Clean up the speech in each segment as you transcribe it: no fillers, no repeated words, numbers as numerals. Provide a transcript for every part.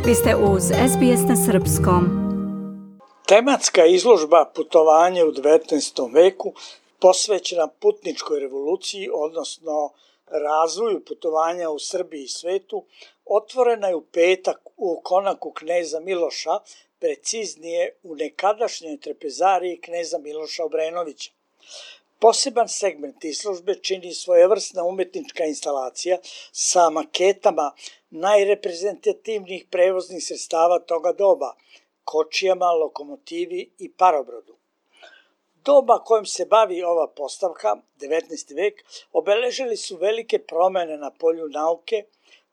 Vi ste uz SBS na srpskom. Tematska izložba Putovanje u 19. veku posvećena putničkoj revoluciji, odnosno razvoju putovanja u Srbiji i svetu, otvorena je u petak u konaku kneza Miloša, preciznije u nekadašnjoj trpezariji kneza Miloša Obrenovića. Poseban segment izložbe čini svojevrsna umetnička instalacija sa maketama najreprezentativnijih prevoznih sredstava toga doba, kočijama, lokomotivi i parobrodu. Doba kojom se bavi ova postavka, 19. vek, obeležili su velike promene na polju nauke,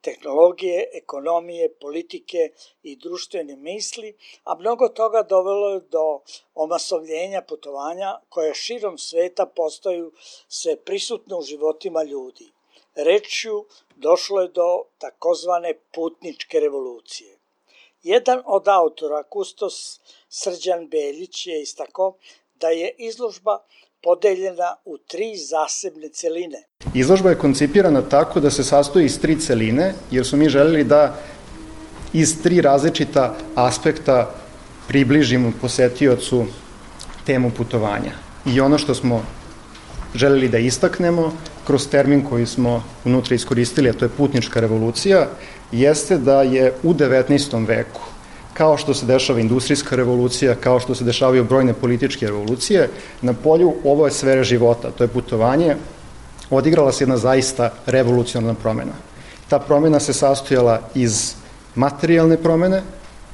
tehnologije, ekonomije, politike i društvene misli, a mnogo toga dovelo je do omasovljenja putovanja koja širom sveta postaju sve prisutne u životima ljudi. Rečju došlo je do takozvane putničke revolucije. Jedan od autora, kustos Srđan Beljić, je istakao da je izložba podeljena u 3 zasebne celine. Izložba je koncipirana tako da se sastoji iz 3 celine, jer su mi želeli da iz 3 različita aspekta približimo posetiocu temu putovanja. I ono što smo želeli da istaknemo kroz termin koji smo unutra iskoristili, a to je putnička revolucija, jeste da je u 19. veku, kao što se dešava industrijska revolucija, kao što se dešavaju brojne političke revolucije, na polju ove sfere života, to je putovanje, odigrala se jedna zaista revolucionarna promena. Ta promena se sastojala iz materijalne promene,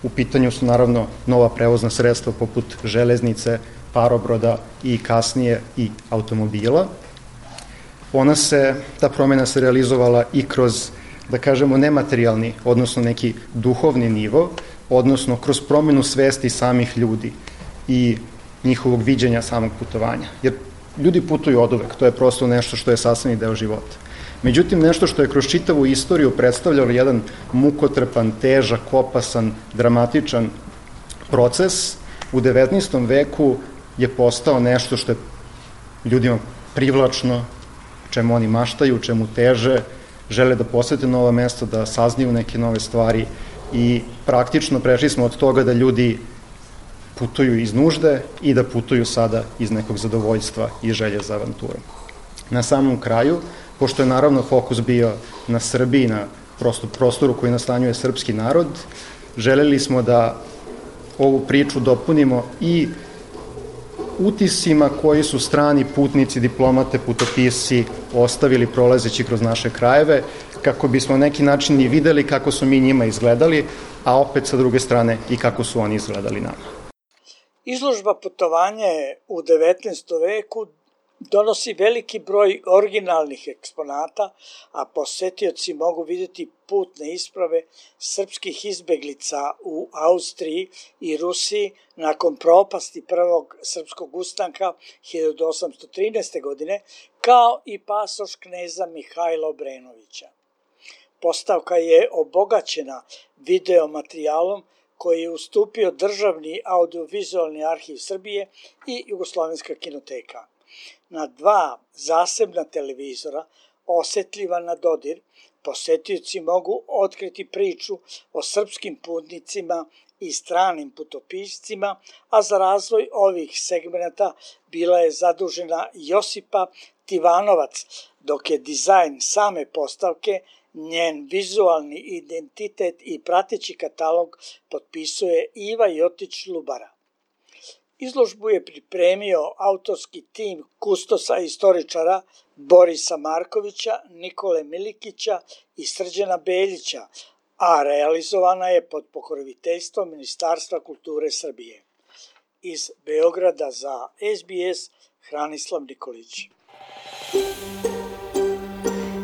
u pitanju su naravno nova prevozna sredstva poput železnice, parobroda i kasnije i automobila. Ta promena se realizovala i kroz, da kažemo, nematerijalni, odnosno neki duhovni nivo, odnosno kroz promenu svesti samih ljudi i njihovog viđenja samog putovanja. Jer ljudi putuju oduvek, to je prosto nešto što je sastavni deo života. Međutim, nešto što je kroz čitavu istoriju predstavljalo jedan mukotrpan, težak, opasan, dramatičan proces, u 19. veku je postao nešto što je ljudima privlačno, čemu oni maštaju, čemu teže, žele da posete nova mesta, da saznaju neke nove stvari i praktično prešli smo od toga da ljudi putuju iz nužde i da putuju sada iz nekog zadovoljstva i želje za avanturom. Na samom kraju, pošto je naravno fokus bio na Srbiji, na prostoru koji nastanjuje srpski narod, želeli smo da ovu priču dopunimo i utisima koji su strani putnici, diplomate, putopisci ostavili prolazeći kroz naše krajeve, kako bismo na neki način i videli kako su mi njima izgledali, a opet sa druge strane i kako su oni izgledali nama. Izložba Putovanje u 19. veku donosi veliki broj originalnih eksponata, a posetioci mogu vidjeti putne isprave srpskih izbeglica u Austriji i Rusiji nakon propasti prvog srpskog ustanka 1813. godine, kao i pasoš kneza Mihajla Obrenovića. Postavka je obogaćena video materijalom koji je ustupio Državni audiovizualni arhiv Srbije i Jugoslovenska kinoteka. Na 2 zasebna televizora, osetljiva na dodir, posetioci mogu otkriti priču o srpskim putnicima i stranim putopiscima, a za razvoj ovih segmenata bila je zadužena Josipa Tivanovac, dok je dizajn same postavke, njen vizualni identitet i prateći katalog potpisuje Iva Jotić-Lubara. Izložbu je pripremio autorski tim kustosa istoričara Borisa Markovića, Nikole Milikića i Srđana Beljića, a realizovana je pod pokroviteljstvom Ministarstva kulture Srbije. Iz Beograda za SBS, Hranislav Nikolić.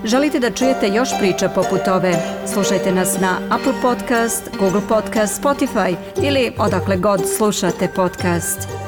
Želite da čujete još priča poput ove? Slušajte nas na Apple Podcast, Google Podcast, Spotify ili odakle god slušate podcast.